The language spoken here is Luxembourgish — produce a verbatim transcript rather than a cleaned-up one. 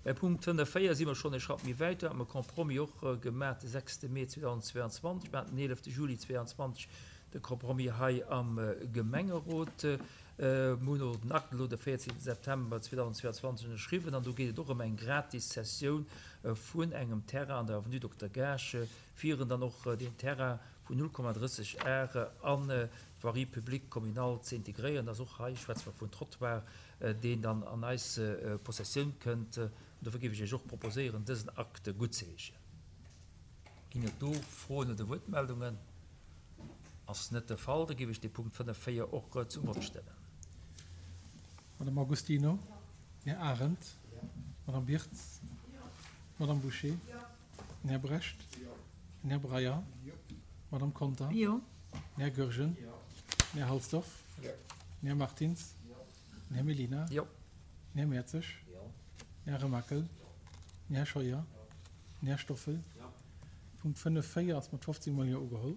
Bei Punkt fënnef véier si mer schonn e Schratt méi wäit. Do hate mer e Compromis och gemaach de sechste Mee zweedausendzweianzwanzeg. Mir haten den eelefte Juli zweeanzwanzeg de Compromis hei am Gemengerot. Mir hunn och den Akt elo de véierzehnten September zweedausendzweianzwanzeg ënnerschriwwen an do geet et och ëm eng gratis Cessioun vun engem Terrain an der Avenue Dokter Gaasch, fir en dann och deen Terrain vun null Komma drësseg Ar an d'Voirie publique communale ze integréieren. Dass och hei schwätze mer vun Trottoir, deen dann an eis Possessioun kënnt. An dofir géif ech Iech och proposéieren, dësen Akt guttzeheeschen. Ginn et do Froen oder Wuertmeldungen? Ass net de Fall. Da géif ech dee Punkt fënnef véier och zum Vott stellen. Madame Agostino, Här Arendt, Madame Birtz, Madame Bouché, den Här Brecht, den Här Breyer, Madame Conter, den Här Goergen, den Här Halsdorf, den Här Martins, den Här Mellina, den Här Mertzig, den Här Remakel, den Här Scheuer, den Här Stoffel. Punkt fënnef véier ass mat fofzéng mol Jo ugeholl.